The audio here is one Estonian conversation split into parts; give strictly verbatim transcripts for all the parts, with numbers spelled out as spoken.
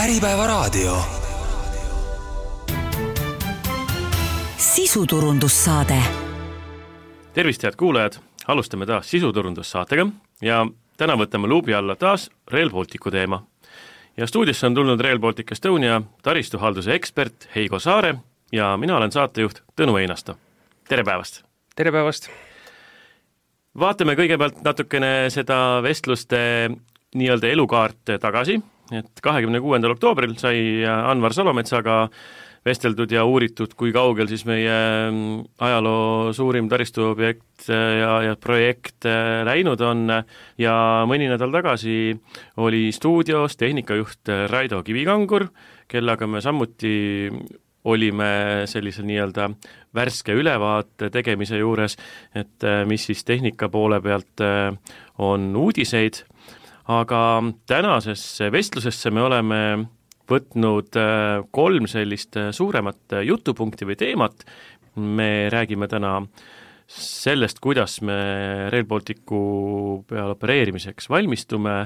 Äripäevaraadio. Sisuturundussaade. Tervist, head kuulajad! Alustame taas sisuturundussaatega ja täna võtame luubi alla taas Rail Balticu teema. Ja stuudiosse on tulnud Rail Baltic Estonia taristuhalduse ekspert Heigo Saare ja mina olen saatejuht Tõnu Einasto. Tere päevast! Tere päevast! Vaatame kõigepealt natukene seda vestluste nii-öelda elukaart tagasi, et kahekümne kuuendal oktoobril sai Anvar Salometsaga vesteldud ja uuritud, kui kaugel siis meie ajaloo suurim taristuobjekt ja, ja projekt läinud on ja mõni nädal tagasi oli stuudios tehnikajuht Raido Kivikangur, kellega me samuti olime sellise nii-öelda värske ülevaate tegemise juures, et mis siis tehnika poole pealt on uudiseid, aga tänasesse vestlusesse me oleme võtnud kolm sellist suuremat jutupunkti või teemat. Me räägime täna sellest, kuidas me Rail Balticu peal opereerimiseks valmistume,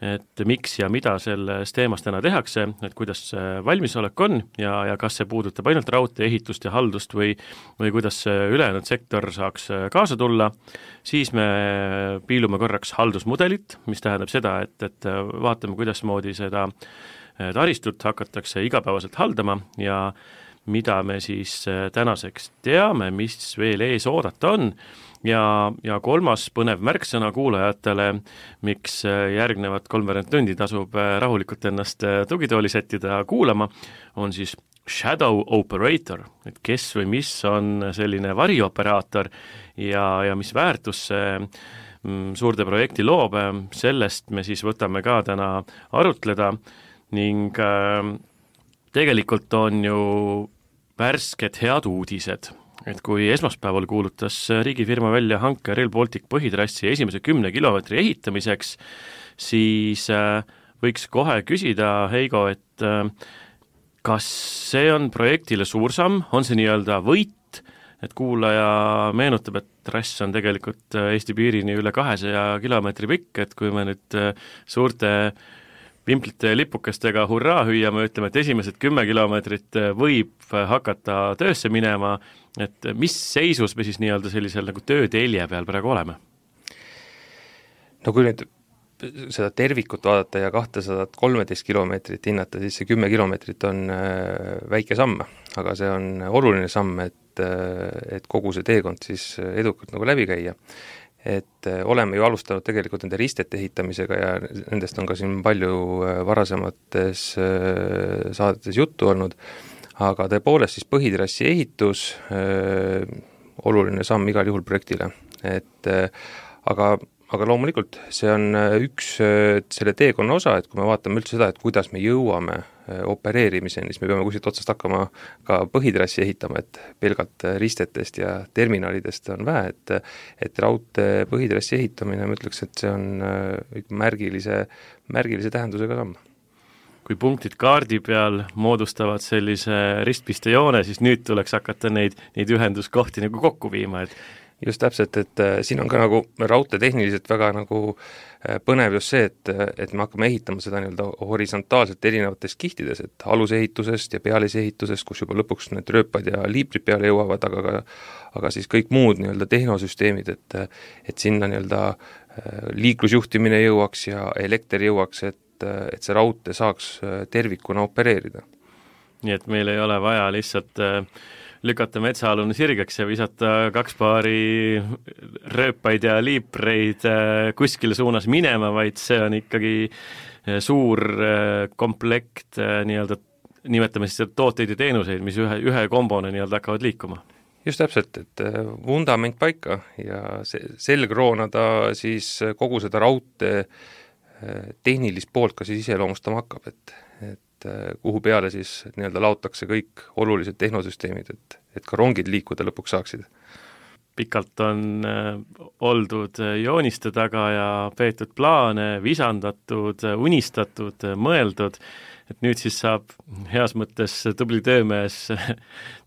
et miks ja mida selles teemas täna tehakse, et kuidas valmisolek on ja, ja kas see puudutab ainult raudtee ehitust ja haldust või, või kuidas ülejäänud sektor saaks kaasa tulla. Siis me piilume korraks haldusmudelit, mis tähendab seda, et, et vaatame, kuidas moodi seda taristut hakatakse igapäevaselt haldama ja mida me siis tänaseks teame, mis veel ees oodata on ja, ja kolmas põnev märksõna kuulajatele, miks järgnevad kolmveerand tundi tasub rahulikult ennast tugitooli settida kuulama, on siis shadow operator, et kes või mis on selline varioperaator ja, ja mis väärtus see suurde projekti loob, sellest me siis võtame ka täna arutleda ning äh, tegelikult on ju värsked head uudised, et kui esmaspäeval kuulutas riigifirma välja hanke Rail Baltic põhitrassi esimese kümne kilomeetri ehitamiseks, siis äh, võiks kohe küsida, Heigo, et äh, kas see on projektile suur samm, on see nii-öelda võit, et kuulaja meenutab, et trass on tegelikult Eesti piirini üle kahesaja kilomeetri pikk, et kui me nüüd suurte pimplite ja lipukestega hurraa hüüame, ütleme, et esimesed kümme kilomeetrit võib hakata töösse minema, et mis seisus me siis nii-öelda sellisel nagu töötelje peal praegu oleme? No kui nüüd seda tervikut vaadata ja kahtesadat kolmteist kilomeetrit hinnata, siis see kümme kilomeetrit on väike samm, aga see on oluline samm, et, et kogu see teekond siis edukalt nagu läbi käia. Et oleme ju alustanud tegelikult nende ristete ehitamisega ja nendest on ka siin palju varasemates saadetes juttu olnud, aga tõepoolest siis põhitrassi ehitus, äh, oluline samm igal juhul projektile, et äh, aga, aga loomulikult see on üks äh, selle teekonna osa, et kui me vaatame üldse seda, et kuidas me jõuame opereerimiseni, siis me peame kuskilt otsast hakkama ka põhitrassi ehitama, et pelgalt ristetest ja terminalidest on vähe, et, et raudtee põhitrassi ehitamine, ma ütleks, et see on märgilise, märgilise tähendusega samm. Kui punktid kaardi peal moodustavad sellise ristpistejoone, siis nüüd tuleks hakata neid, neid ühenduskohti nagu kokku viima, et just täpselt, et siin on ka nagu raudtee tehniliselt väga nagu põnev just see, et, et me hakkame ehitama seda nii-öelda horisontaalselt erinevates kihtides, et alusehitusest ja pealisehitusest, kus juba lõpuks need rööpad ja liiprid peale jõuavad, aga, ka, aga siis kõik muud nii-öelda tehnosüsteemid, et, et sinna nii-öelda liiklusjuhtimine jõuaks ja elekter jõuaks, et, et see raudtee saaks tervikuna opereerida. Nii et meil ei ole vaja lihtsalt lükata metsaalune sirgeks ja visata kaks paari rööpaid ja liipreid kuskile suunas minema, vaid see on ikkagi suur komplekt nii-öelda, nimetame siis tooteid ja teenuseid, mis ühe, ühe kombone nii-öelda hakkavad liikuma. Just täpselt, et vundament paika ja selg roonada siis kogu seda raudtee tehnilist poolt ka siis iseloomustama hakkab, et, et kuhu peale siis nii-öelda laotakse kõik olulised tehnosüsteemid, et, et ka rongid liikuda lõpuks saaksid. Pikalt on äh, oldud jooniste taga ja peetud plaane, visandatud, unistatud, mõeldud, et nüüd siis saab heas mõttes tubli töömees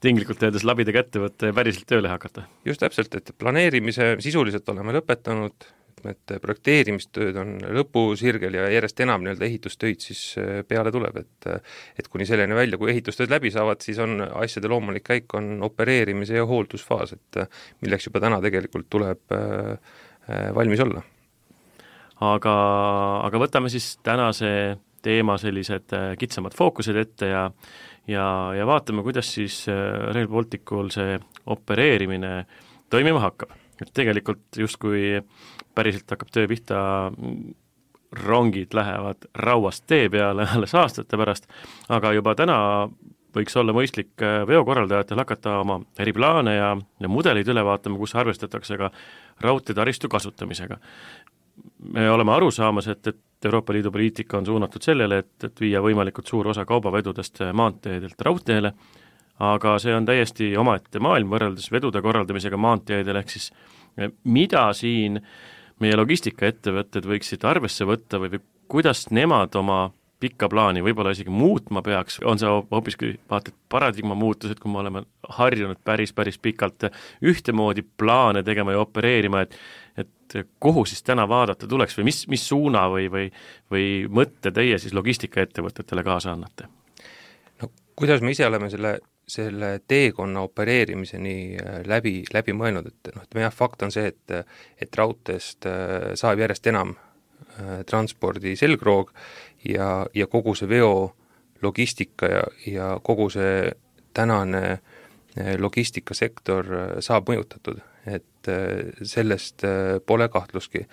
tinglikult öeldes labida kätte võtta ja päriselt tööle hakata. Just täpselt, et planeerimise sisuliselt oleme lõpetanud, mitmed projekteerimistööd on lõpusirgel ja järjest enam nii-öelda ehitustöid siis peale tuleb, et et kuni selleni välja, kui ehitustööd läbi saavad, siis on asjade loomulik käik, on opereerimise ja hooldusfaas, et milleks juba täna tegelikult tuleb valmis olla. Aga, aga võtame siis tänase teema sellised kitsamad fookused ette ja ja, ja vaatame, kuidas siis Rail Balticul see opereerimine toimima hakkab. Et tegelikult justkui päriselt hakkab töö pihta, rongid lähevad rauast tee peale alles aastate pärast, aga juba täna võiks olla mõistlik veokorraldajatel hakata oma eriplaane ja, ja mudeleid üle vaatama, kus arvestatakse ka raudteetaristu kasutamisega. Me oleme aru saamas, et, et Euroopa Liidu poliitika on suunatud sellele, et, et viia võimalikult suur osa kaubavedudest maanteedelt raudteele, aga see on täiesti omaette maailm võrreldes vedude korraldamisega maanteedel, ehk siis mida siin meie logistikaettevõtted võiksid arvesse võtta või, või kuidas nemad oma pikka plaani võib-olla isegi muutma peaks, on see hoopiski vaata, et paradigma muutused, kui me oleme harjunud päris, päris pikalt ühtemoodi plaane tegema ja opereerima, et, et kuhu siis täna vaadata tuleks või mis, mis suuna või, või, või mõtte teie siis logistikaettevõtetele kaasa annate? No kuidas me ise oleme selle, selle teekonna opereerimiseni läbi, läbi mõelnud, et noh, et meie fakt on see, et, et raudteest saab järjest enam transpordi selgroog ja, ja kogu see veo logistika ja, ja kogu see tänane logistikasektor saab mõjutatud, et sellest pole kahtluski.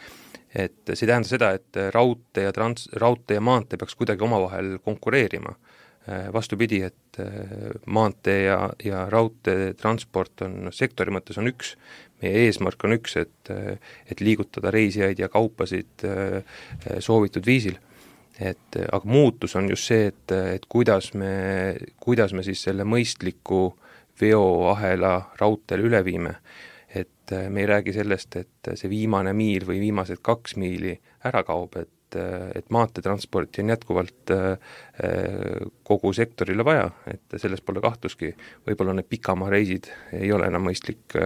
Et see tähendab seda, et raudtee ja, trans, raudtee ja maantee peaks kuidagi omavahel konkureerima. Vastupidi, et maantee ja, ja raudtee transport on sektori mõttes on üks, meie eesmärk on üks, et, et liigutada reisijaid ja kaupasid soovitud viisil. Et, aga muutus on just see, et, et kuidas me, kuidas me siis selle mõistliku veoahela raudteele üle viime. Et me ei räägi sellest, et see viimane miil või viimased kaks miili ära kaob, et et maanteetransporti on jätkuvalt kogu sektorile vaja, et sellest pole kahtluski. Võib-olla need pikamaa reisid ei ole enam mõistlik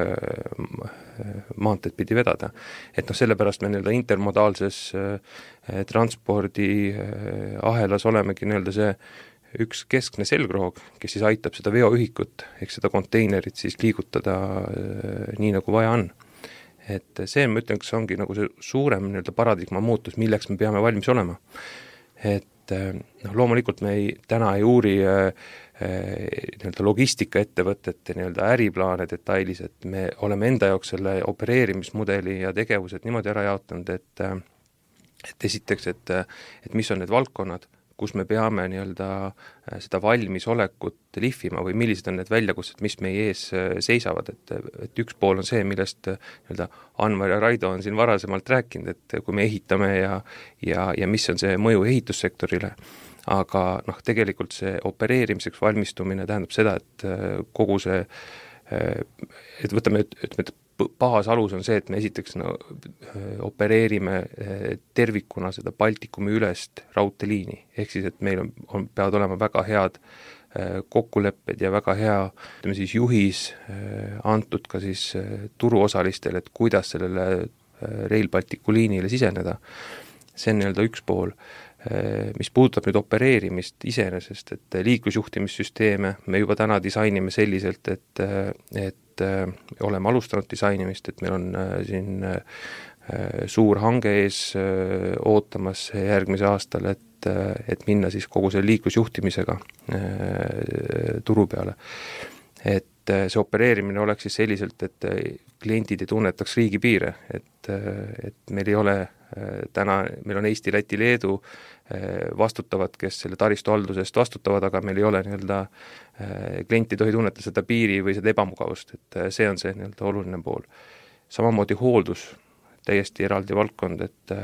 maanteed pidi vedada. Et noh, sellepärast me nii-öelda intermodaalses transpordi ahelas olemegi nii-öelda see üks keskne selgroog, kes siis aitab seda veoühikut, ehk seda konteinerit siis liigutada nii, nagu vaja on. Et see, ma ütlen, kas ongi nagu see suurem nii-öelda paradigma muutus, milleks me peame valmis olema. Et noh, loomulikult me ei, täna ei uuri äh, nii-öelda logistikaettevõtete nii-öelda äriplaane detailis, et me oleme enda jaoks selle opereerimismudeli ja tegevused niimoodi ära jaotanud, et, et esiteks, et, et mis on need valdkonnad, kus me peame nii-öelda seda valmisolekut lihvima või millised on need väljakutsed, mis meie ees seisavad, et, et üks pool on see, millest nii-öelda Anvar ja Raido on siin varasemalt rääkinud, et kui me ehitame ja, ja, ja mis on see mõju ehitussektorile, aga noh, tegelikult see opereerimiseks valmistumine tähendab seda, et kogu see, et võtame, ütleme, et baasalus on see, et me esiteks no, opereerime tervikuna seda Baltikumi ülest raudteeliini, ehk siis, et meil on, on, peavad olema väga head kokkulepped ja väga hea ütleme siis juhis antud ka siis turuosalistele, et kuidas sellele Rail Balticu liinile siseneda. See on nii-öelda üks pool. Mis puudutab nüüd opereerimist iseenesest, et liiklusjuhtimissüsteeme me juba täna disainime selliselt, et, et oleme alustanud disainimist, et meil on siin suur hange ees ootamas järgmise aastal, et, et minna siis kogu selle liiklusjuhtimisega turu peale. Et see opereerimine oleks siis selliselt, et kliendid ei tunnetaks riigipiire, et, et meil ei ole täna, meil on Eesti, Läti, Leedu vastutavad, kes selle taristu haldusest vastutavad, aga meil ei ole nii-öelda, klient ei tohi tunneta seda piiri või seda ebamugavust, et see on see nii-öelda oluline pool. Samamoodi hooldus, täiesti eraldi valdkond, et,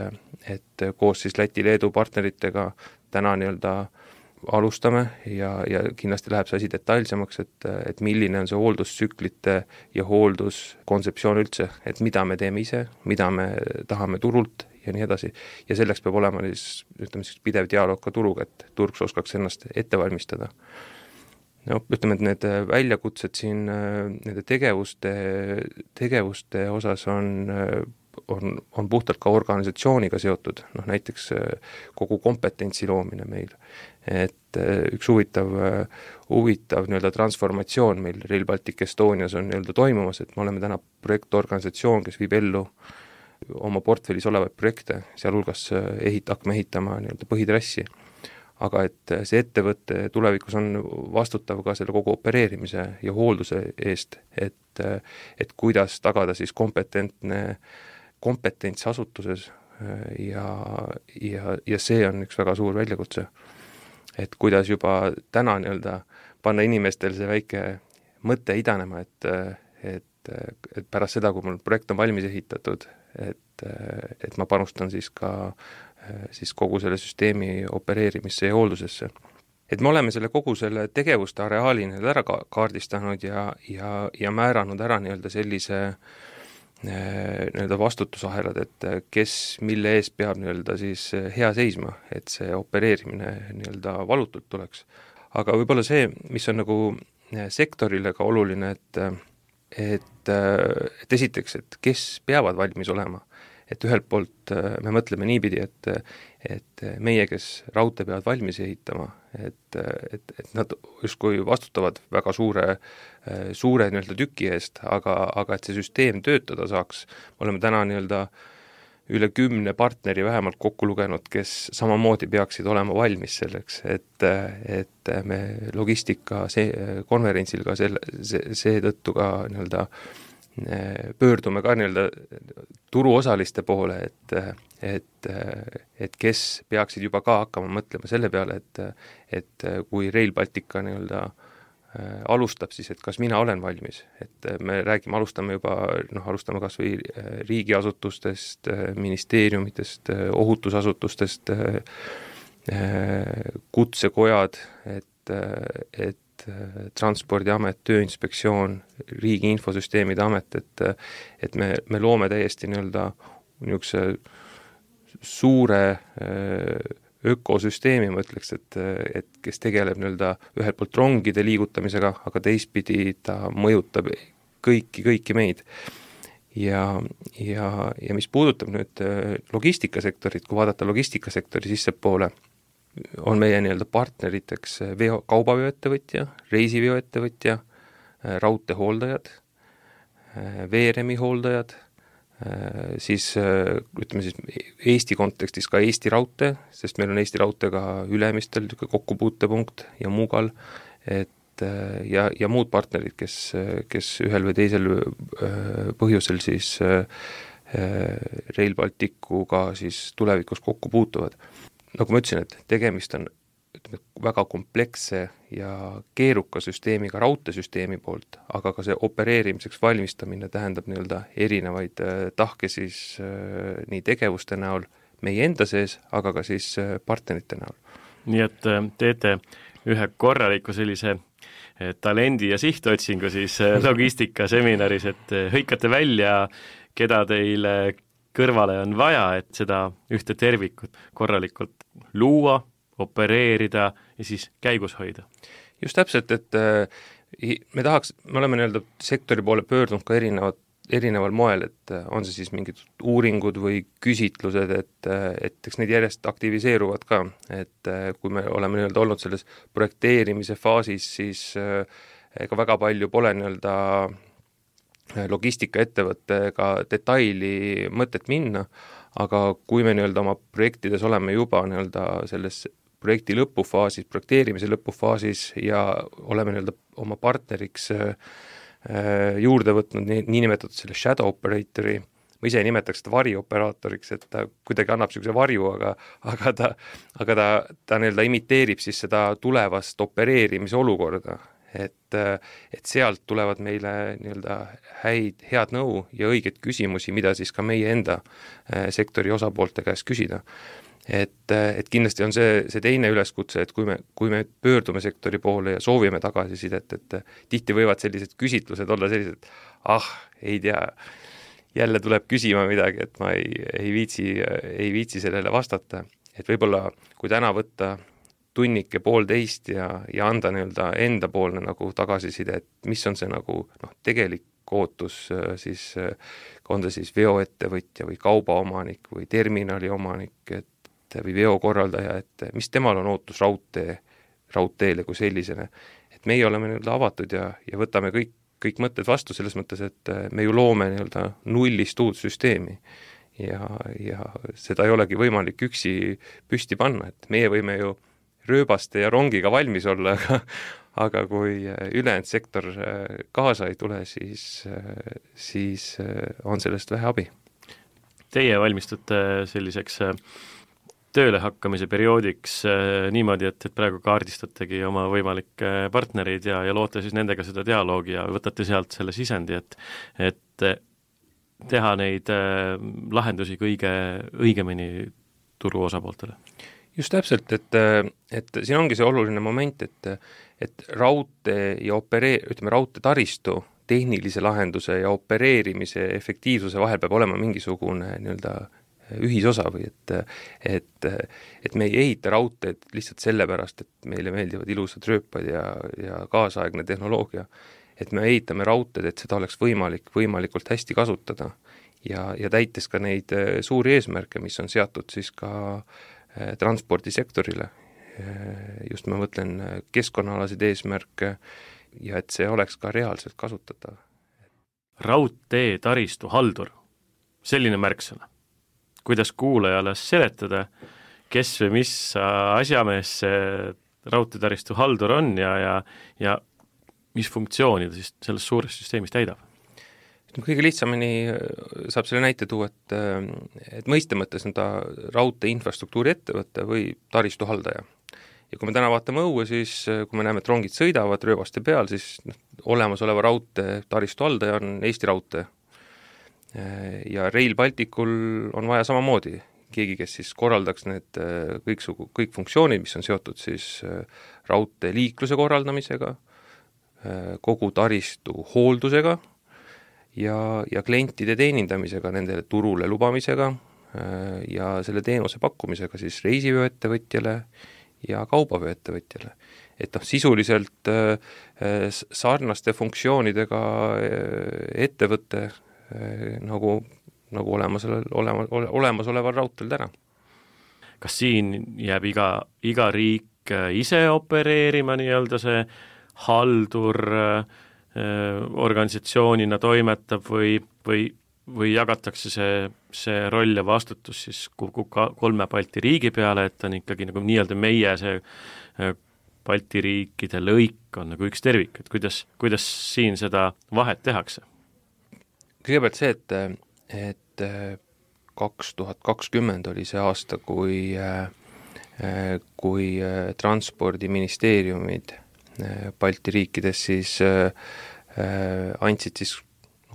et koos siis Läti, Leedu partneritega täna nii-öelda alustame ja, ja kindlasti läheb see asi detailsemaks, et, et milline on see hooldustsüklite ja hoolduskontseptsioon üldse, et mida me teeme ise, mida me tahame turult ja nii edasi. Ja selleks peab olema siis, ütleme siis pidev dialoog ka turuga, et turg oskaks ennast ette valmistada. No, ütleme, et need väljakutsed siin, nende tegevuste, tegevuste osas on on, on puhtalt ka organisatsiooniga seotud, noh näiteks kogu kompetentsi loomine meil. Et üks huvitav, huvitav nii-öelda transformatsioon meil Rail Baltic Estonias on nii-öelda toimumas, et me oleme täna projektorganisatsioon, kes viib ellu oma portfellis olevaid projekte, sealhulgas ehit, hakkame ehitama nii-öelda põhitrassi. Aga et see ettevõte tulevikus on vastutav ka selle kogu opereerimise ja hoolduse eest, et, et kuidas tagada siis kompetentne kompetents asutuses ja, ja, ja see on üks väga suur väljakutse. Et kuidas juba täna nii-öelda panna inimestel see väike mõte idanema, et, et, et pärast seda, kui mul projekt on valmis ehitatud, et, et ma panustan siis ka siis kogu selle süsteemi opereerimisse ja hooldusesse. Et me oleme selle kogu selle tegevuste areaali ära kaardistanud ja, ja, ja määranud ära nii-öelda sellise nii-öelda vastutusahelad, et kes mille ees peab nii-öelda siis hea seisma, et see opereerimine nii-öelda valutult tuleks. Aga võib-olla see, mis on nagu sektorile ka oluline, et, et, et esiteks, et kes peavad valmis olema, et ühelt poolt me mõtleme niipidi, et, et meie, kes raudtee peavad valmis ehitama, et, et, et nad justkui vastutavad väga suure, suure nii-öelda tüki eest, aga, aga et see süsteem töötada saaks, oleme täna nii-öelda üle kümne partneri vähemalt kokku lugenud, kes samamoodi peaksid olema valmis selleks, et, et me logistika see, konverentsil ka selle, see, seetõttu ka nii-öelda pöördume ka nii-öelda turuosaliste poole, et, et, et kes peaksid juba ka hakkama mõtlema selle peale, et, et kui Rail Baltica nii-öelda alustab, siis et kas mina olen valmis, et me räägime, alustame juba, noh, alustame kas või riigiasutustest, ministeeriumitest, ohutusasutustest, kutsekojad, et, et Transpordiamet, Tööinspektsioon, Riigi Infosüsteemide Amet, et, et me, me loome täiesti nii-öelda niisuguse suure ökosüsteemi, ma ütleks, et, et kes tegeleb nii-öelda ühelt poolt rongide liigutamisega, aga teistpidi ta mõjutab kõiki, kõiki meid. Ja, ja, ja mis puudutab nüüd logistikasektorit, kui vaadata logistikasektori sissepoole, on meie nii-öelda partneriteks veo, kaubaveoettevõtja, reisiveoettevõtja, raudteehooldajad, veeremi hooldajad, siis ütleme siis Eesti kontekstis ka Eesti raudtee, sest meil on Eesti raudteega Ülemistel kokkupuutepunkt ja Muugal, et ja, ja muud partnerid, kes, kes ühel või teisel põhjusel siis Rail Balticuga siis tulevikus kokku puutuvad. Nagu ma ütlesin, et tegemist on ütleme, väga kompleksse ja keeruka süsteemiga raudteesüsteemi poolt, aga ka see opereerimiseks valmistamine tähendab nii-öelda erinevaid tahke siis äh, nii tegevuste näol meie enda sees, aga ka siis äh, partnerite näol. Nii et äh, teete ühe korraliku sellise äh, talendi ja sihtotsingu siis äh, logistikaseminaris, et äh, hõikate välja, keda teile kõrvale on vaja, et seda ühte tervikut korralikult luua, opereerida ja siis käigus hoida. Just täpselt, et me tahaks, me oleme nii-öelda sektori poole pöördunud ka erinevad, erineval moel, et on see siis mingid uuringud või küsitlused, et, et eks need järjest aktiviseeruvad ka, et kui me oleme nii-öelda olnud selles projekteerimise faasis, siis ega väga palju pole nii-öelda logistikaettevõttega detaili mõtet minna, aga kui me nii-öelda oma projektides oleme juba nii-öelda selles projekti lõpufaasis, projekteerimise lõpufaasis ja oleme nii-öelda oma partneriks juurde võtnud nii, niinimetatud selle shadow operatori, ma ise nimetaks seda varioperaatoriks, et ta kuidagi annab niisuguse varju, aga, aga ta, aga ta, ta nii-öelda imiteerib siis seda tulevast opereerimise olukorda. Et, et sealt tulevad meile nii-öelda häid, head nõu ja õiget küsimusi, mida siis ka meie enda sektori osapoolte käest küsida. Et, et kindlasti on see, see teine üleskutse, et kui me, kui me pöördume sektori poole ja soovime tagasisidet, et tihti võivad sellised küsitlused olla sellised, ah, ei tea, jälle tuleb küsima midagi, et ma ei, ei, viitsi, ei viitsi sellele vastata. Et võib-olla, kui täna võtta tunnike poolteist ja, ja anda nii-öelda enda poolne nagu tagasiside, et mis on see nagu noh, tegelik ootus siis, on ta siis veoettevõtja või kaubaomanik või terminali omanik, et või veokorraldaja, et mis temal on ootus raudtee, raudteele kui sellisena. Et meie oleme nii-öelda avatud ja, ja võtame kõik, kõik mõtted vastu selles mõttes, et me ju loome nii-öelda nullist uut süsteemi ja, ja seda ei olegi võimalik üksi püsti panna, et meie võime ju rööbaste ja rongiga valmis olla, aga, aga kui ülejäänud sektor kaasa ei tule, siis, siis on sellest vähe abi. Teie valmistute selliseks tööle hakkamise perioodiks äh, niimoodi, et, et praegu kaardistategi oma võimalikke partnereid ja, ja loote siis nendega seda dialoogi ja võtate sealt selle sisendi, et, et teha neid äh, lahendusi kõige õigemini turu osapooltele. Just täpselt, et, et siin ongi see oluline moment, et, et raudtee ja operee-, ütleme, raudtee taristu tehnilise lahenduse ja opereerimise efektiivsuse vahel peab olema mingisugune nii-öelda ühisosa või et, et, et me ei ehita raudteed lihtsalt sellepärast, et meile meeldivad ilusad rööpad ja, ja kaasaegne tehnoloogia, et me ehitame raudteed, et seda oleks võimalik võimalikult hästi kasutada ja, ja täites ka neid suuri eesmärke, mis on seatud siis ka transpordisektorile. Just ma mõtlen keskkonnaalaseid eesmärke ja et see oleks ka reaalselt kasutatav. Raudtee taristu haldur, selline märksõna. Kuidas kuulajale seletada, kes või mis asjamees see raudteetaristu haldur on ja, ja, ja mis funktsiooni ta siis selles suures süsteemis täidab? Kõige lihtsamini saab selle näite tuua, et, et mõiste mõttes on ta raudtee infrastruktuuri ettevõte või taristu haldaja. Ja kui me täna vaatame õue, siis kui me näeme, et rongid sõidavad rööbaste peal, siis olemasoleva raudtee taristu haldaja on Eesti Raudtee. Ja Rail Balticul on vaja samamoodi keegi, kes siis korraldaks need kõik, sugu, kõik funktsioonid, mis on seotud siis raudtee liikluse korraldamisega, kogu taristu hooldusega ja, ja klientide teenindamisega, nendele turule lubamisega ja selle teenuse pakkumisega siis reisivööettevõtjale ja kaubavööettevõtjale. Et noh, sisuliselt sarnaste funktsioonidega ettevõtte nagu, nagu olemasoleval, olema, olemasoleval raudtel täna. Kas siin jääb iga, iga riik ise opereerima nii-öelda see haldur äh, organisatsioonina toimetab või, või, või jagatakse see, see roll ja vastutus siis kolme Balti riigi peale, et on ikkagi nagu nii-öelda meie see äh, Balti riikide lõik on nagu üks tervik, et kuidas, kuidas siin seda vahet tehakse? Kõigepealt see, et, et kaks tuhat kakskümmend oli see aasta, kui, kui transpordiministeeriumid Balti riikides siis andsid siis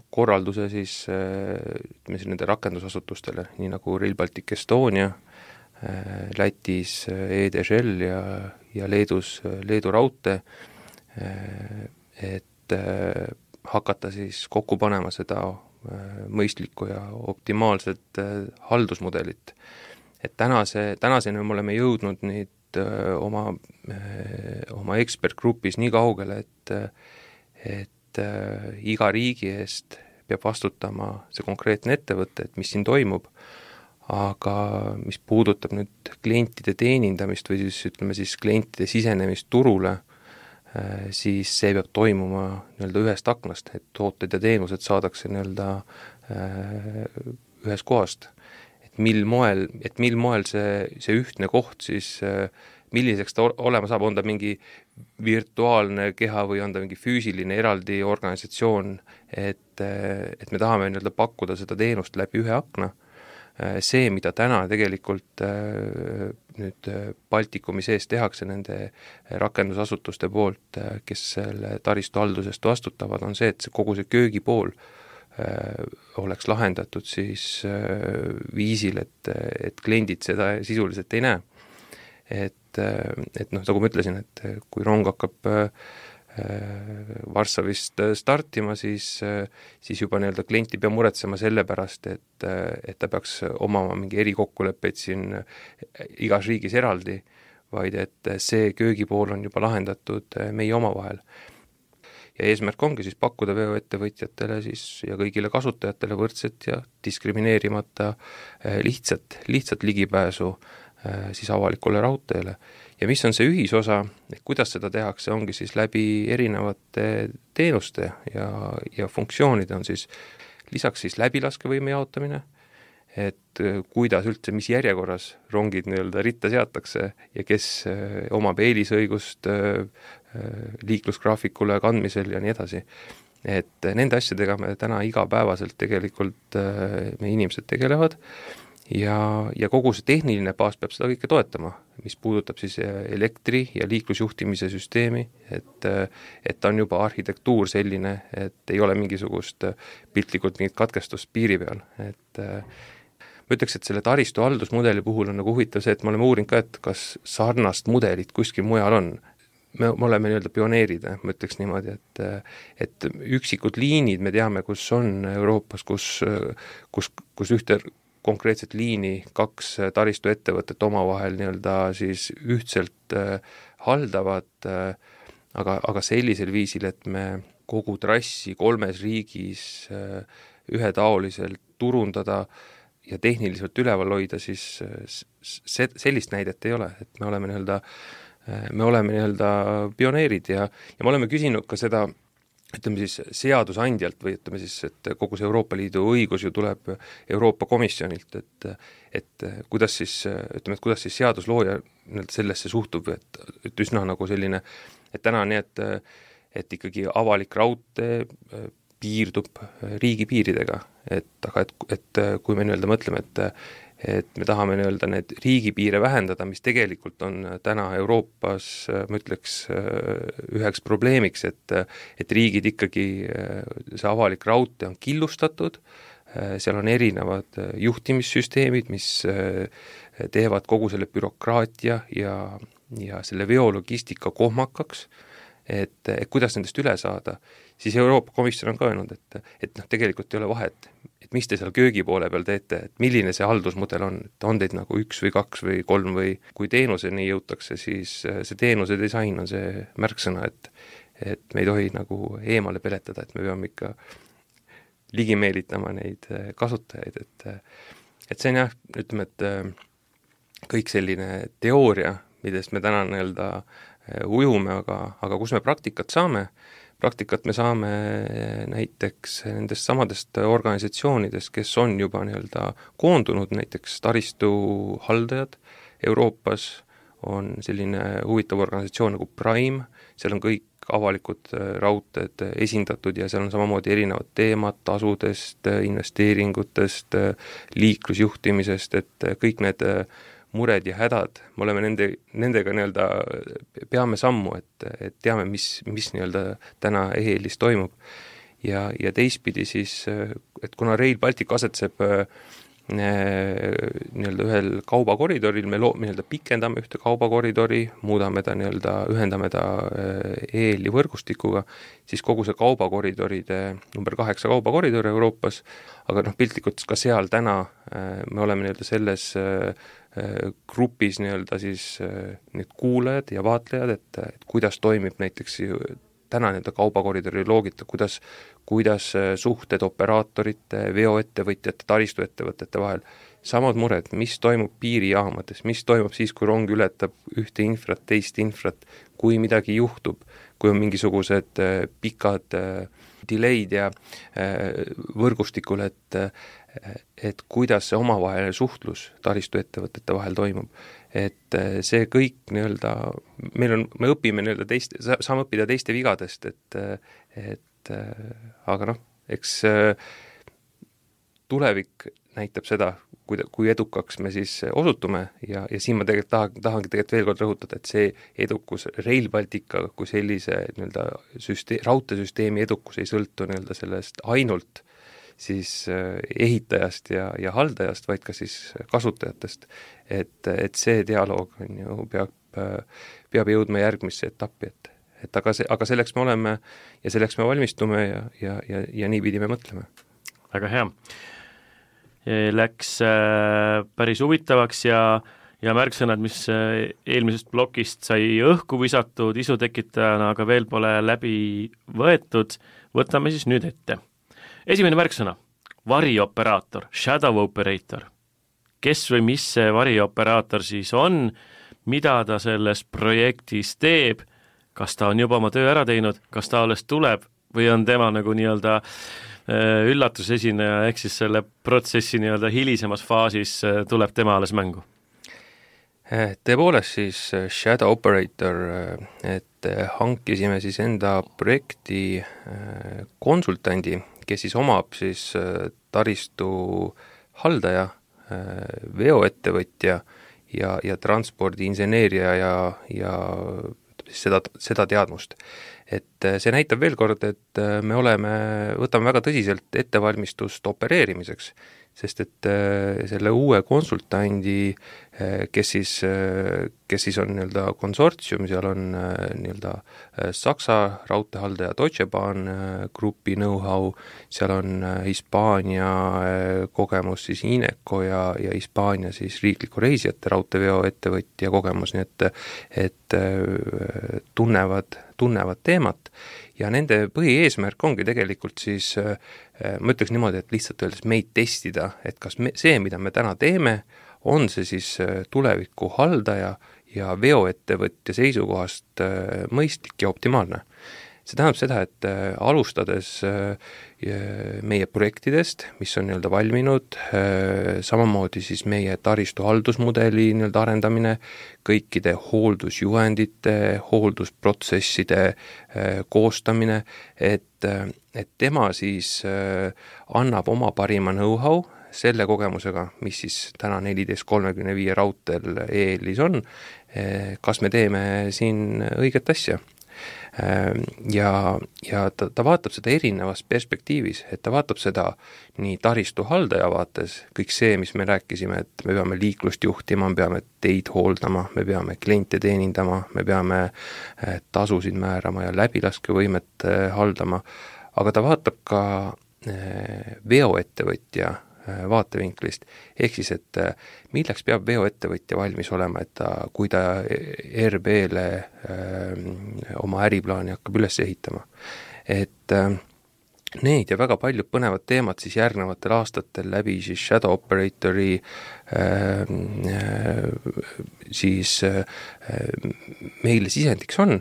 korralduse siis, ütleme siis nende rakendusasutustele, nii nagu Rail Baltic Estonia, Lätis E D G L ja, ja Leedus Leedu raudtee, et hakata siis kokku panema seda mõistlikku ja optimaalset haldusmudelit. Et tänase, tänaseni me oleme jõudnud nüüd oma, oma ekspertgrupis nii kaugele, et, et iga riigi eest peab vastutama see konkreetne ettevõte, et mis siin toimub, aga mis puudutab nüüd klientide teenindamist või siis ütleme siis klientide sisenemist turule, siis see peab toimuma nii-öelda ühest aknast, et tooted ja teenused saadakse nii-öelda ühest kohast. Et mil moel, et mil moel see, see ühtne koht siis, milliseks ta olema saab, on ta mingi virtuaalne keha või on ta mingi füüsiline eraldi organisatsioon, et, et me tahame nii-öelda pakkuda seda teenust läbi ühe akna. See, mida täna tegelikult nüüd Baltikumi sees tehakse nende rakendusasutuste poolt, kes selle taristu haldusest vastutavad, on see, et see kogu see köögipool oleks lahendatud siis viisil, et, et kliendid seda sisuliselt ei näe. Et, et noh, nagu ma ütlesin, et kui rong hakkab Varssavist startima, siis, siis juba nii-öelda klient ei pea muretsema selle pärast, et, et ta peaks omama mingi erikokkuleppeid siin igas riigis eraldi, vaid et see köögipool on juba lahendatud meie omavahel. ja eesmärk ongi siis pakkuda veoettevõtjatele siis ja kõigile kasutajatele võrdset ja diskrimineerimata lihtsat, lihtsat ligipääsu siis avalikule raudteele. Ja mis on see ühisosa, kuidas seda tehakse, ongi siis läbi erinevate teenuste ja, ja funktsioonide on siis lisaks siis läbilaskevõime jaotamine, et kuidas üldse, mis järjekorras rongid nii-öelda ritta seatakse ja kes omab eelisõigust liiklusgraafikule kandmisel ja nii edasi. Et nende asjadega me täna igapäevaselt tegelikult meie inimesed tegelevad ja, ja kogu see tehniline baas peab seda kõike toetama, mis puudutab siis elektri- ja liiklusjuhtimise süsteemi, et, et on juba arhitektuur selline, et ei ole mingisugust piltlikult mingit katkestust piiri peal, et ma ütleks, et selle taristu haldusmudeli puhul on nagu huvitav see, et me oleme uurinud ka, et kas sarnast mudelit kuskil mujal on. Me, me oleme nii-öelda pioneerid, ma ütleks niimoodi, et, et üksikud liinid me teame, kus on Euroopas, kus, kus, kus ühte konkreetset liini kaks taristuettevõtet omavahel nii-öelda siis ühtselt haldavad, aga, aga sellisel viisil, et me kogu trassi kolmes riigis ühetaoliselt turundada ja tehniliselt üleval hoida, siis se-, sellist näidet ei ole, et me oleme nii-öelda, me oleme nii-öelda pioneerid ja, ja me oleme küsinud ka seda, ütleme siis seadusandjalt või ütleme siis, et kogu see Euroopa Liidu õigus ju tuleb Euroopa Komisjonilt, et, et kuidas siis, ütleme, et kuidas siis seaduslooja sellesse suhtub, et, et üsna nagu selline, et täna on nii, et, et ikkagi avalik raudtee piirdub riigipiiridega, et aga et, et kui me nii-öelda mõtleme, et et me tahame nii-öelda need riigipiire vähendada, mis tegelikult on täna Euroopas, ma ütleks, üheks probleemiks, et, et riigid ikkagi, see avalik raudtee on killustatud, seal on erinevad juhtimissüsteemid, mis teevad kogu selle bürokraatia ja, ja selle veologistika kohmakaks, et, et kuidas nendest üle saada, siis Euroopa Komisjon on ka öelnud, et, et noh, tegelikult ei ole vahet, et mis te seal köögi poole peal teete, et milline see haldusmudel on, et on teid nagu üks või kaks või kolm või kui teenuseni jõutakse, siis see teenuse disain on see märksõna, et, et me ei tohi nagu eemale peletada, et me peame ikka ligi meelitama neid kasutajaid, et, et see on jah, ütleme, et kõik selline teooria, millest me täna nii-öelda ujume, aga, aga kus me praktikat saame, praktikat me saame näiteks nendest samadest organisatsioonidest, kes on juba nii-öelda koondunud, näiteks taristu haldajad Euroopas on selline huvitav organisatsioon nagu Prime, seal on kõik avalikud raudteed esindatud ja seal on samamoodi erinevad teemad tasudest, investeeringutest, liiklusjuhtimisest, et kõik need mured ja hädad, me oleme nende, nendega nii-öelda, peame sammu, et, et teame, mis, mis nii-öelda täna E-L-is toimub. Ja, ja teistpidi siis, et kuna Rail Baltic asetseb nii-öelda ühel kaubakoridoril, me loo-, nii-öelda pikendame ühte kaubakoridori, muudame ta nii-öelda, ühendame ta E-L-i võrgustikuga, siis kogu see kaubakoridoride, number kaheksa kaubakoridor Euroopas, aga noh, piltlikult ka seal täna me oleme nii-öelda selles grupis nii-öelda siis need kuulajad ja vaatlejad, et, et kuidas toimib näiteks täna nii-öelda kaubakoridori loogita, kuidas, kuidas suhted operaatorite, veoettevõtjate, taristuettevõtete vahel, samad mured, mis toimub piirijaamades, mis toimub siis, kui rong ületab ühte infrat, teist infrat, kui midagi juhtub, kui on mingisugused pikad delay'd ja võrgustikul, et et kuidas see omavaheline suhtlus taristuettevõtete vahel toimub. Et see kõik nii-öelda, meil on, me õpime nii-öelda teiste, saame õppida teiste vigadest, et, et aga noh, eks tulevik näitab seda, kui, kui edukaks me siis osutume ja, ja siin ma tegelikult tahan, tahangi tegelikult veel kord rõhutada, et see edukus Rail Baltica kui sellise nii-öelda süsteem, raudteesüsteemi edukus ei sõltu nii-öelda sellest ainult siis ehitajast ja, ja haldajast, vaid ka siis kasutajatest. Et, et see dialoog on ju, peab, peab jõudma järgmisse etappi, et, et aga, see, aga selleks me oleme ja selleks me valmistume ja, ja, ja, ja nii pidi me mõtleme. Väga hea. Läks päris huvitavaks ja, ja märksõnad, mis eelmisest plokist sai õhku visatud isutekitajana, aga veel pole läbi võetud, võtame siis nüüd ette. Esimene märksõna, varioperaator, shadow operator. Kes või mis see varioperaator siis on, mida ta selles projektis teeb, kas ta on juba oma töö ära teinud, kas ta alles tuleb või on tema nagu nii-öelda üllatusesineja, ehk siis selle protsessi nii-öelda hilisemas faasis tuleb tema alles mängu? Tõepoolest siis Shadow Operator, et hankisime siis enda projekti konsultandi, kes siis omab siis taristu haldaja, veoettevõtja ja, ja transpordiinseneeria ja, ja seda, seda teadmust. Et see näitab veel kord, et me oleme, võtame väga tõsiselt ettevalmistust opereerimiseks, sest et selle uue konsultandi, kes siis, kes siis on nii-öelda konsortsium, seal on nii-öelda Saksa raudteehaldaja Deutsche Bahn grupi know-how, seal on Hispaania kogemus siis Ineco ja, ja Hispaania siis riikliku reisijate raudteeveo ettevõtja kogemus, nii et, et tunnevad, tunnevad teemat ja nende põhieesmärk ongi tegelikult siis, ma ütleks niimoodi, et lihtsalt öeldes meid testida, et kas me, see, mida me täna teeme, on see siis tuleviku haldaja ja veoettevõtja seisukohast mõistlik ja optimaalne. See tähendab seda, et alustades meie projektidest, mis on nii-öelda valminud, samamoodi siis meie taristu haldusmudeli nii-öelda arendamine, kõikide hooldusjuhendite, hooldusprotsesside koostamine, et, et tema siis annab oma parima know-how selle kogemusega, mis siis täna neliteist kolmekümne viie raudteel E L-is on, kas me teeme siin õiget asja. Ja, ja ta, ta vaatab seda erinevas perspektiivis, et ta vaatab seda nii taristu haldaja vaates, kõik see, mis me rääkisime, et me peame liiklust juhtima, me peame teid hooldama, me peame kliente teenindama, me peame tasusid määrama ja läbilaskevõimet haldama, aga ta vaatab ka veoettevõtja vaatevinklist, ehk siis, et milleks peab veoettevõtja valmis olema, et ta, kui ta R B-le oma äriplaani hakkab üles ehitama. Et need ja väga paljud põnevad teemad siis järgnevatel aastatel läbi siis Shadow Operatori siis meile sisendiks on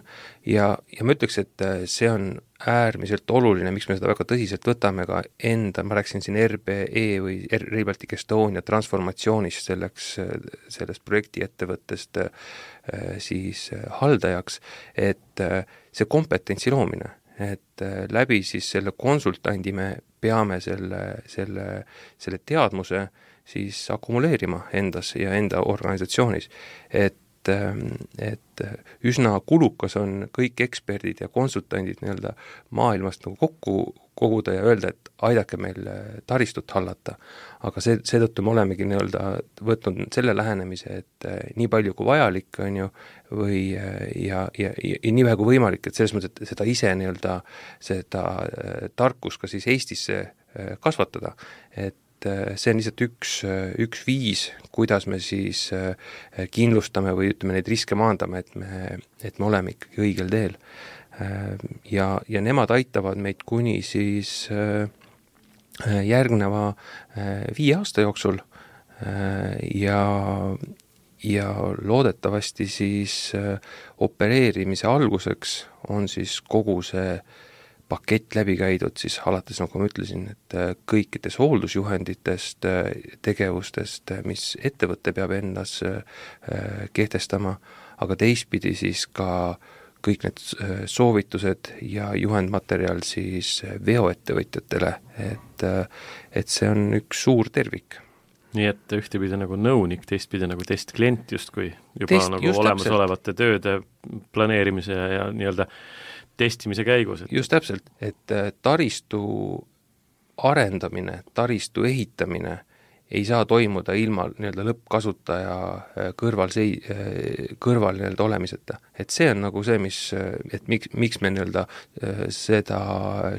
ja, ja ma ütleks, et see on äärmiselt oluline, miks me seda väga tõsiselt võtame ka enda, ma rääkisin siin R B E või Rail Baltic Estonia transformatsioonist selleks, sellest projektiettevõttest siis haldajaks, et see kompetentsi loomine, et läbi siis selle konsultandi me peame selle, selle, selle teadmuse siis akumuleerima endas ja enda organisatsioonis, et et üsna kulukas on kõik eksperdid ja konsultandid nii-öelda maailmast nagu kokku koguda ja öelda, et aidake meil taristut hallata. Aga see, seetõttu me olemegi nii-öelda võtnud selle lähenemise, et nii palju kui vajalik on ju, või ja, ja, ja, ja nii vähe kui võimalik, et selles mõttes, et seda ise nii-öelda seda tarkus ka siis Eestisse kasvatada, et see on lihtsalt üks, üks viis, kuidas me siis kindlustame või ütleme neid riske maandame, et me, et me oleme ikkagi õigel teel. Ja, ja nemad aitavad meid kuni siis järgneva viie aasta jooksul ja, ja loodetavasti siis opereerimise alguseks on siis kogu see pakett läbi käidud siis alates, nagu ma ütlesin, et kõikides hooldusjuhenditest, tegevustest, mis ettevõte peab endas kehtestama, aga teistpidi siis ka kõik need soovitused ja juhendmaterjal siis veoettevõtjatele, et, et see on üks suur tervik. Nii et ühtepidi nagu nõunik, teistpidi nagu testklient justkui juba Test, nagu olemasolevate tööde planeerimise ja nii-öelda testimise käigus. Et... just täpselt, et taristu arendamine, taristu ehitamine ei saa toimuda ilma nii-öelda lõppkasutaja kõrval, sei, kõrval nii-öelda olemiseta. Et see on nagu see, mis, et miks, miks me nii-öelda seda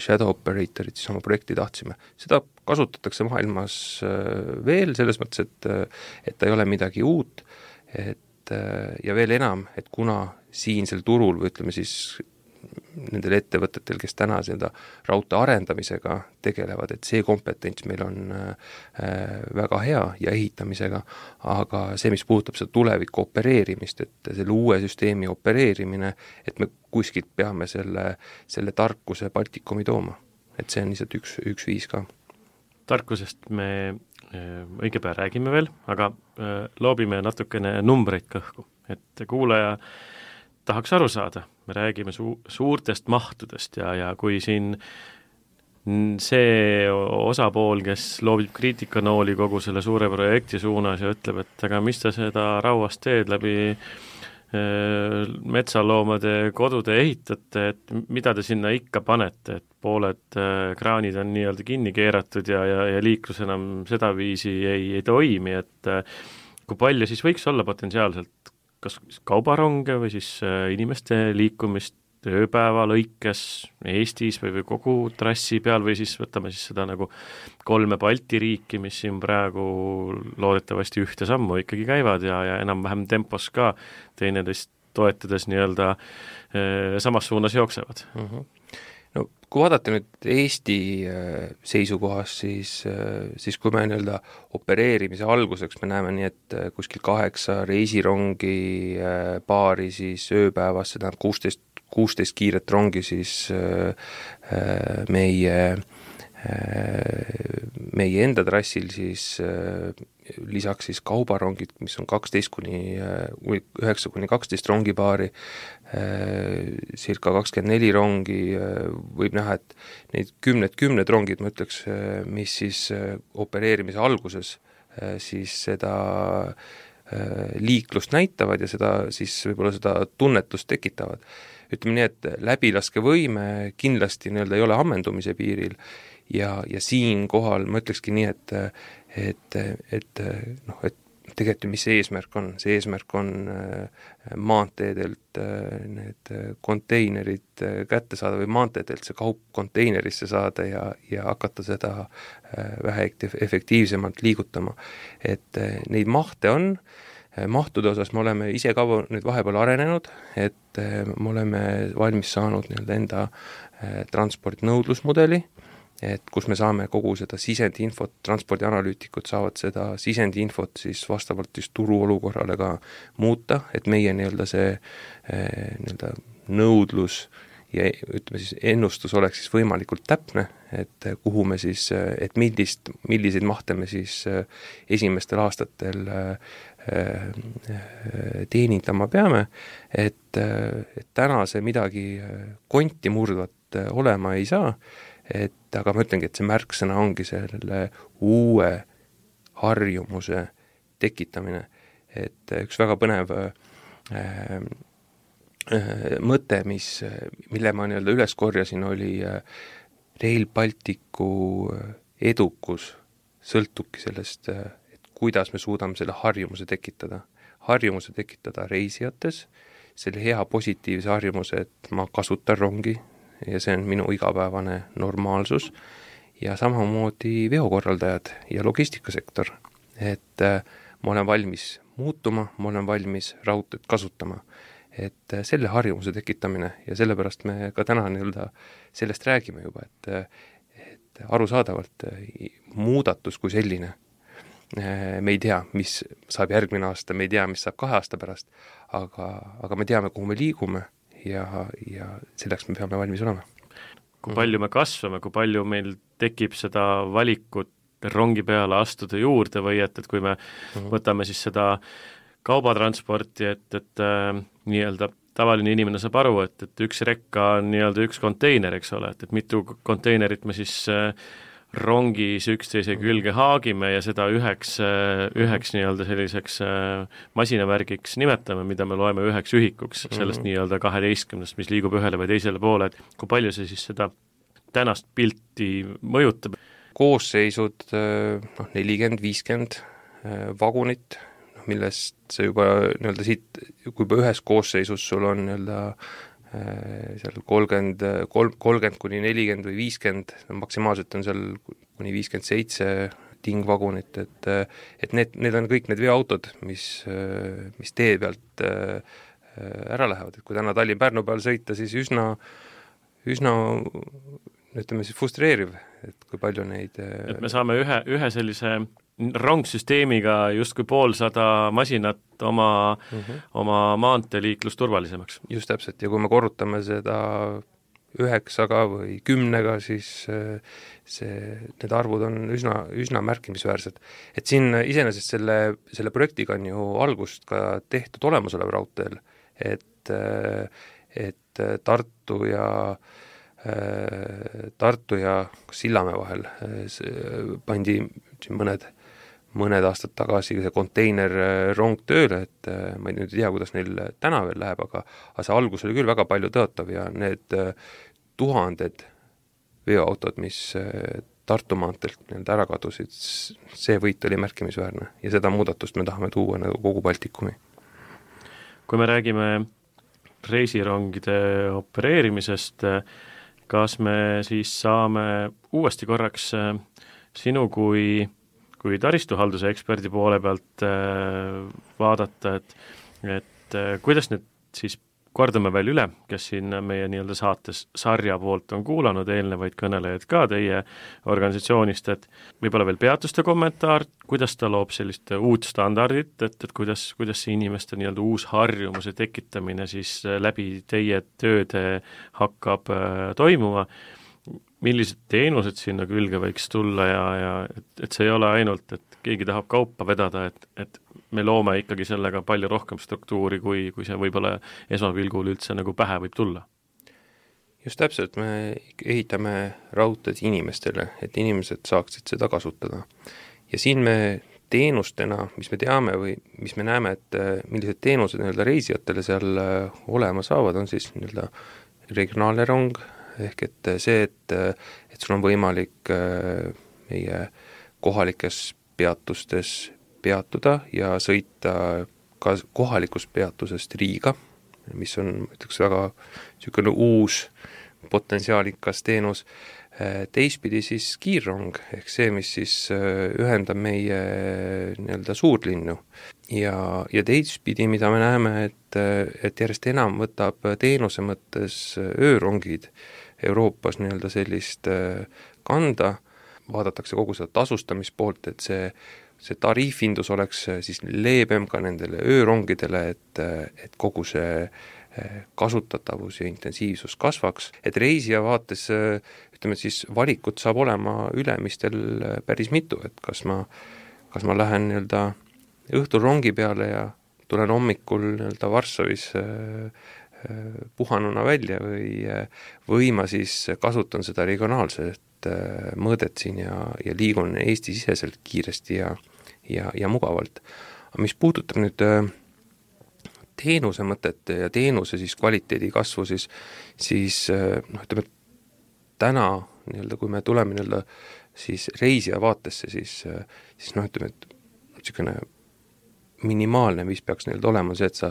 Shadow Operatorit siis oma projekti tahtsime. Seda kasutatakse maailmas veel selles mõttes, et, et ta ei ole midagi uut et ja veel enam, et kuna siinsel turul või ütleme siis nendel ettevõtetel, kes täna seda raudtee arendamisega tegelevad, et see kompetents meil on väga hea ja ehitamisega, aga see, mis puudutab seda tuleviku opereerimist, et selle uue süsteemi opereerimine, et me kuskilt peame selle, selle tarkuse Baltikumi tooma. Et see on lihtsalt üks, üks viis ka. Tarkusest me õige pea räägime veel, aga loobime natukene numbreid kõhku, et kuulaja tahaks aru saada, me räägime su- suurtest mahtudest ja, ja kui siin see osapool, kes loobib kriitikanooli kogu selle suure projekti suunas ja ütleb, et aga mis ta seda rauast teed läbi metsaloomade kodude ehitate, et mida te sinna ikka panete, et pooled kraanid on nii-öelda kinni keeratud ja, ja, ja liiklus enam sedaviisi ei, ei toimi, et kui palju siis võiks olla potentsiaalselt kas kaubaronge või siis inimeste liikumist ööpäeva lõikes Eestis või, või kogu trassi peal või siis võtame siis seda nagu kolme Balti riiki, mis siin praegu loodetavasti ühte sammu ikkagi käivad ja, ja enam-vähem tempos ka teineteist toetades nii-öelda e, samas suunas jooksevad. Mm-hmm. No kui vaadata nüüd Eesti seisukohas, siis, siis kui me nii-öelda opereerimise alguseks me näeme nii, et kuskil kaheksa reisirongi paari siis ööpäevas, seda on kuusteist, kuusteist kiiret rongi siis meie, meie enda trassil siis lisaks siis kaubarongid, mis on kaksteist kuni üheksa kuni kaksteist rongipaari, circa kakskümmend neli rongi, võib näha, et neid kümned, kümned rongid, ma ütleks, mis siis opereerimise alguses siis seda liiklust näitavad ja seda siis võib-olla seda tunnetust tekitavad. Ütleme nii, et läbilaskevõime kindlasti nii-öelda ei ole ammendumise piiril ja, ja siin kohal ma ütlekski nii, et et, et noh, et tegelikult mis see eesmärk on, see eesmärk on maanteedelt need konteinerid kätte saada või maanteedelt see kaup konteinerisse saada ja, ja hakata seda vähe efektiivsemalt liigutama. Et neid mahte on, mahtude osas me oleme ise ka nüüd vahepeal arenenud, et me oleme valmis saanud nii-öelda enda transportnõudlusmudeli, et kus me saame kogu seda sisendinfot, transpordianalüütikud saavad seda sisendinfot siis vastavalt siis turu olukorrale ka muuta, et meie nii-öelda see nii-öelda nõudlus ja ütleme siis ennustus oleks siis võimalikult täpne, et kuhu me siis, et millist, milliseid mahte me siis esimestel aastatel teenindama peame, et, et täna see midagi konti murdvat olema ei saa, et aga ma ütlengi, et see märksõna ongi selle uue harjumuse tekitamine, et üks väga põnev äh, äh, mõte, mis, mille ma nii-öelda üles korjasin, oli äh, Rail Balticu edukus sõltubki sellest, äh, et kuidas me suudame selle harjumuse tekitada. Harjumuse tekitada reisijates, selle hea positiivse harjumuse, et ma kasutan rongi, ja see on minu igapäevane normaalsus ja samamoodi veokorraldajad ja logistikasektor, et äh, ma olen valmis muutuma, ma olen valmis raudteed kasutama, et äh, selle harjumuse tekitamine ja sellepärast me ka täna nii-öelda sellest räägime juba, et, et arusaadavalt äh, muudatus kui selline, äh, me ei tea, mis saab järgmine aasta, me ei tea, mis saab kahe aasta pärast, aga, aga me teame, kuhu me liigume, ja, ja selleks me peame valmis olema. Kui palju me kasvame, kui palju meil tekib seda valikut rongi peale astuda juurde või et, et kui me mm-hmm. võtame siis seda kaubatransporti, et, et äh, nii-öelda tavaline inimene saab aru, et, et üks rekka on nii-öelda üks konteiner, eks ole, et, et mitu konteinerit me siis äh, rongis üksteise külge haagime ja seda üheks, üheks nii-öelda selliseks masinavärgiks nimetame, mida me loeme üheks ühikuks sellest nii-öelda kaheteistkümnest, mis liigub ühele või teisele poole, et kui palju see siis seda tänast pilti mõjutab? Koosseisud, noh, nelikümmend, viiskümmend vagunit, millest see juba nii-öelda siit, kui juba ühes koosseisus sul on nii-öelda seal kolmkümmend, kolmkümmend kuni nelikümmend või viiskümmend, maksimaalselt on seal kuni viiskümmend seitse tingvagunit, et et need, need on kõik need veoautod, mis, mis tee pealt ära lähevad, et kui täna Tallinn-Pärnu peal sõita, siis üsna, üsna ütleme siis frustreeriv, et kui palju neid et me saame ühe, ühe sellise rongsüsteemiga justkui poolsada masinat oma mm, -hmm. oma maanteeliiklust turvalisemaks. Just täpselt, ja kui me korrutame seda üheksaga või kümnega, siis see, need arvud on üsna, üsna märkimisväärsed. Et siin iseenesest selle, selle projektiga on ju algust ka tehtud olemasolev raudteel, et, et Tartu ja Tartu ja Sillamäe vahel pandi siin mõned, mõned aastad tagasi see konteinerrong tööle, et ma ei nüüd ei tea, kuidas neil täna veel läheb, aga, aga see algus oli küll väga palju tõotav ja need tuhanded veoautod, mis Tartu maanteelt nii-öelda ära kadusid, see võit oli märkimisväärne ja seda muudatust me tahame tuua nagu kogu Baltikumi. Kui me räägime reisirongide opereerimisest, kas me siis saame uuesti korraks sinu kui, kui taristuhalduse eksperdi poole pealt vaadata, et, et kuidas nüüd siis kordame veel üle, kes siin meie nii-öelda saates sarja poolt on kuulanud eelnevaid kõnelejaid ka teie organisatsioonist, et võib-olla veel peatuste kommentaar, kuidas ta loob sellist uut standardit, et, et kuidas, kuidas see inimeste nii-öelda uus harjumuse tekitamine siis läbi teie tööde hakkab äh, toimuma, millised teenused sinna külge võiks tulla ja, ja et, et see ei ole ainult, et keegi tahab kaupa vedada, et, et me loome ikkagi sellega palju rohkem struktuuri, kui, kui see võib-olla esmapilgul üldse nagu pähe võib tulla. Just täpselt, me ehitame raudteed inimestele, et inimesed saaksid seda kasutada. Ja siin me teenustena, mis me teame või mis me näeme, et millised teenused nii-öelda reisijatele seal olema saavad, on siis nii-öelda regionaalne rong, ehk et see, et, et sul on võimalik meie kohalikes peatustes peatuda ja sõita ka kohalikust peatusest Riiga, mis on, ütleks, väga niisugune uus potentsiaalikas teenus. Teistpidi siis kiirrong, ehk see, mis siis ühendab meie nii-öelda suurlinnu. Ja, ja teistpidi, mida me näeme, et, et järjest enam võtab teenuse mõttes öörongid Euroopas nii-öelda sellist kanda, vaadatakse kogu seda tasustamispoolt, et see see tariifindus oleks siis leebem ka nendele öörongidele, et, et kogu see kasutatavus ja intensiivsus kasvaks, et reisija vaates, ütleme siis, valikut saab olema ülemistel päris mitu, et kas ma, kas ma lähen nii-öelda õhtul rongi peale ja tulen hommikul nii-öelda Varssavis puhanuna välja või, või ma siis kasutan seda regionaalset mõõdet siin ja, ja liigun Eesti-siseselt kiiresti ja, ja, ja mugavalt. Mis puudutab nüüd teenuse mõtet ja teenuse siis kvaliteedi kasvu, siis, siis noh, ütleme, täna nii-öelda, kui me tuleme nii-öelda siis reisija vaatesse, siis, siis noh, ütleme, et niisugune minimaalne, mis peaks nii-öelda olema see, et sa,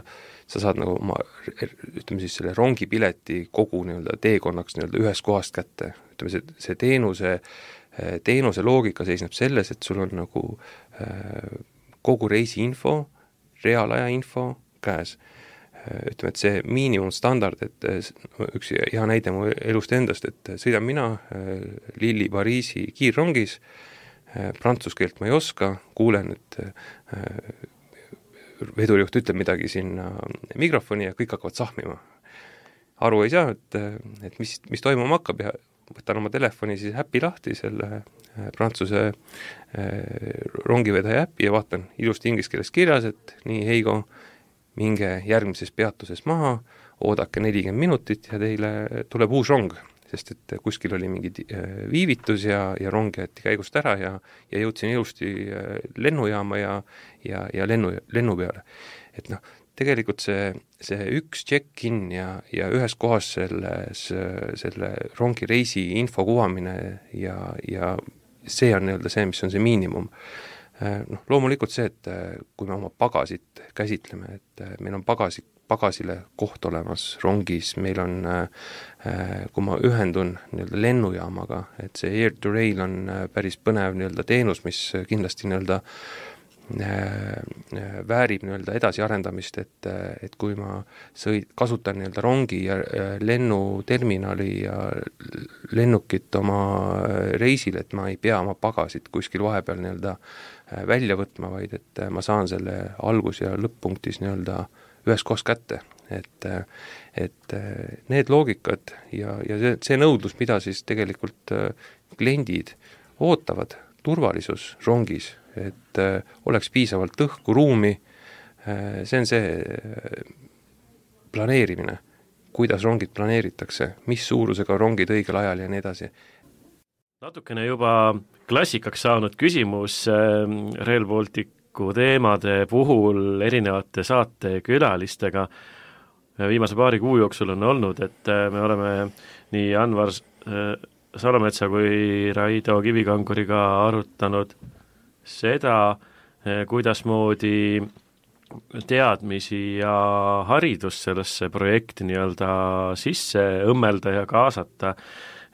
sa saad nagu oma, ütleme siis selle rongipileti kogu nii-öelda teekonnaks nii-öelda ühest kohast kätte. Ütleme, see, see teenuse, teenuse loogika seisneb selles, et sul on nagu kogu reisi info, reaalaja info käes. Ütleme, et see miinimumstandard, et üks hea näide mu elust endast, et sõidan mina Lilli Pariisi kiirrongis, prantsuskeelt ma ei oska, kuulen, et vedurijuht ütleb midagi sinna mikrofoni ja kõik hakkavad sahmima. Aru ei saa, et, et mis, mis toimuma hakkab ja võtan oma telefoni siis äpi lahti, selle prantsuse rongivedaja äpi ja vaatan ilusti inglise keeles kirjas, et nii, Heigo, minge järgmises peatuses maha, oodake nelikümmend minutit ja teile tuleb uus rong, sest et kuskil oli mingi viivitus ja, ja rong jäeti käigust ära ja, ja jõudsin ilusti lennujaama ja, ja, ja lennu, lennu peale. Et noh, tegelikult see, see üks check-in ja, ja ühes kohas selles, selle rongi reisi info kuvamine ja, ja see on nii-öelda see, mis on see miinimum. Noh, loomulikult see, et kui me oma pagasit käsitleme, et meil on pagasid pagasile koht olemas rongis, meil on, kui ma ühendun nii-öelda lennujaamaga, et see Air to Rail on päris põnev nii-öelda teenus, mis kindlasti nii-öelda väärib nii-öelda edasiarendamist, et, et kui ma sõid, kasutan nii-öelda rongi ja lennuterminali ja lennukit oma reisil, et ma ei pea oma pagasit kuskil vahepeal nii-öelda välja võtma, vaid et ma saan selle algus- ja lõpp-punktis nii-öelda ühes kohas kätte, et, et need loogikad ja, ja see, see nõudlus, mida siis tegelikult kliendid ootavad, turvalisus rongis, et oleks piisavalt õhku, ruumi, see on see planeerimine, kuidas rongid planeeritakse, mis suurusega rongid õigel ajal ja nii edasi. Natukene juba klassikaks saanud küsimus Rail Balticu teemade puhul erinevate saate külalistega viimase paari kuu jooksul on olnud, et me oleme nii Anvar Salometsa kui Raido Kivikanguriga arutanud seda, kuidasmoodi teadmisi ja haridus sellesse projekti nii-öelda sisse õmmelda ja kaasata,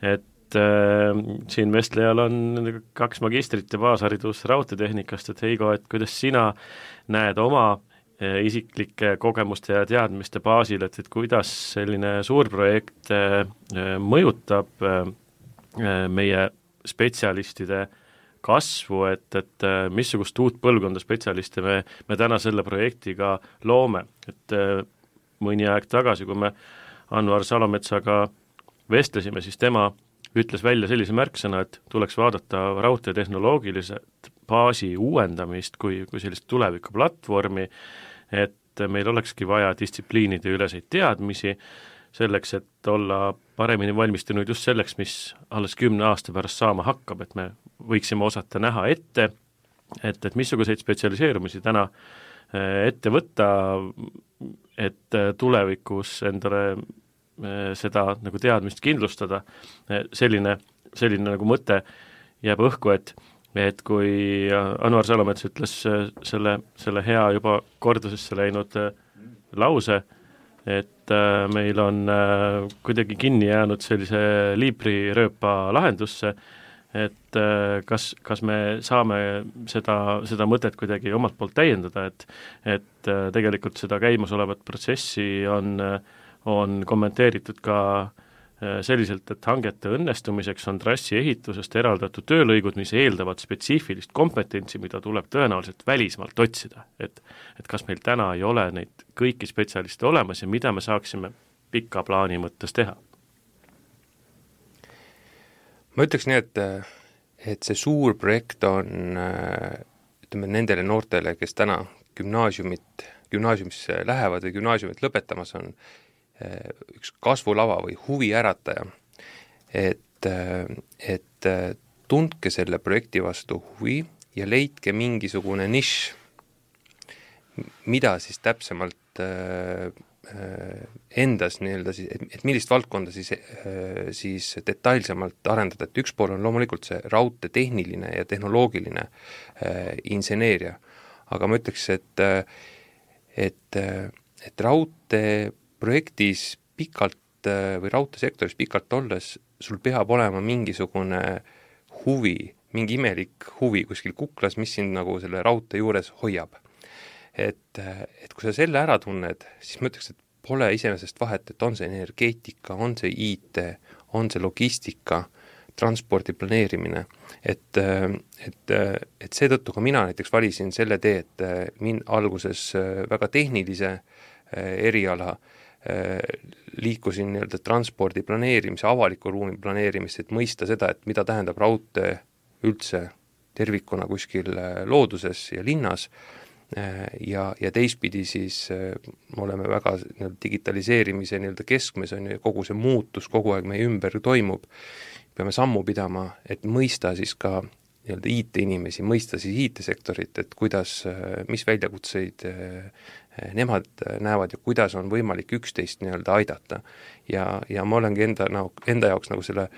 et äh, siin vestlejal on kaks magistrit ja baasharidus raudteetehnikast, et Heigo, et kuidas sina näed oma äh, isiklike kogemuste ja teadmiste baasil, et, et kuidas selline suur projekt äh, mõjutab äh, meie spetsialistide kasvu, et, et missugust uut põlvkonda spetsialiste me, me täna selle projektiga loome. Et mõni aeg tagasi, kui me Anvar Salometsaga vestlesime, siis tema ütles välja sellise märksõna, et tuleks vaadata raudteetehnoloogiliselt baasi uuendamist kui, kui sellist tulevikuplatvormi, et meil olekski vaja distsipliinide üleseid teadmisi, selleks, et olla paremini valmistunud just selleks, mis alles kümne aasta pärast saama hakkab, et me võiksime osata näha ette, et, et missuguseid spetsialiseerumisi täna ette võtta, et tulevikus endale seda nagu teadmist kindlustada. Selline, selline nagu mõte jääb õhku, et, et kui Anvar Salomets ütles selle, selle hea juba kordusesse läinud lause, et meil on kuidagi kinni jäänud sellise liibrirööpa lahendusse, et kas, kas me saame seda, seda mõtet kuidagi omalt poolt täiendada, et, et tegelikult seda käimasolevat protsessi on, on kommenteeritud ka selliselt, et hangete õnnestumiseks on trassi ehitusest eraldatud töölõigud, mis eeldavad spetsiifilist kompetentsi, mida tuleb tõenäoliselt välismaalt otsida. Et, et kas meil täna ei ole neid kõiki spetsialiste olemas ja mida me saaksime pika plaani mõttes teha? Ma ütleks nii, et, et see suur projekt on ütleme nendele noortele, kes täna gümnaasiumit, gümnaasiumisse lähevad või gümnaasiumit lõpetamas on, üks kasvulava või huvi ärataja, et, et tundke selle projekti vastu huvi ja leidke mingisugune nišš, mida siis täpsemalt endas nii-öelda siis, et, et millist valdkonda siis, siis detailsemalt arendada, et üks pool on loomulikult see raudtee tehniline ja tehnoloogiline inseneeria, aga ma ütleks, et, et, et raudtee projektis pikalt või raudteesektoris pikalt olles, sul peab olema mingisugune huvi, mingi imelik huvi kuskil kuklas, mis sind nagu selle raudtee juures hoiab. Et, et kui sa selle ära tunned, siis ma ütleks, et pole iseenesest vahet, et on see energeetika, on see I T, on see logistika, transpordi planeerimine, et, et, et seetõttu ka mina näiteks valisin selle tee, et min alguses väga tehnilise eriala liikusin nii-öelda transpordi planeerimise, avaliku ruumi planeerimist, et mõista seda, et mida tähendab raudtee üldse tervikuna kuskil looduses ja linnas ja, ja teistpidi siis me oleme väga nii-öelda digitaliseerimise nii-öelda keskmes, on ju, kogu see muutus kogu aeg meie ümber toimub, peame sammu pidama, et mõista siis ka nii-öelda I T-inimesi, mõista siis I T-sektorit, et kuidas, mis väljakutseid nemad näevad ja kuidas on võimalik üksteist nii-öelda aidata. Ja, ja ma olengi enda, nagu, enda jaoks nagu selle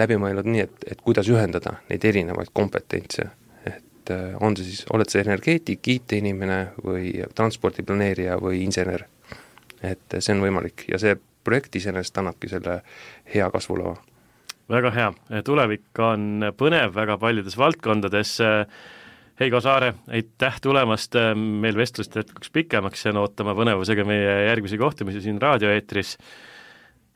läbi mõelnud nii, et, et kuidas ühendada neid erinevaid kompetentse. Et on see siis, oled see energeetik, I T-inimene või transpordiplaneerija või insener. et see on võimalik ja see projekt iseenesest annabki selle hea kasvulava. Väga hea, tulevik on põnev väga paljudes valdkondades. Heigo Saare, aitäh tulemast, meil vestlust jätkuks pikemaks ja ootama põnevusega meie järgmisi kohtumisi siin raadioeetris.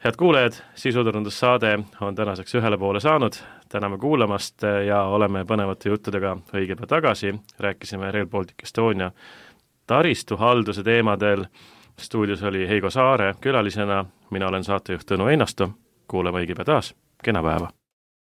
Head kuulajad, sisuturundussaade on tänaseks ühele poole saanud, täname kuulamast ja oleme põnevate juttudega õige päev tagasi. Rääkisime Rail Baltic Estonia taristuhalduse teemadel. Stuudios oli Heigo Saare külalisena, mina olen saatejuht Tõnu Einasto, kuuleme õige päev taas, kena päeva!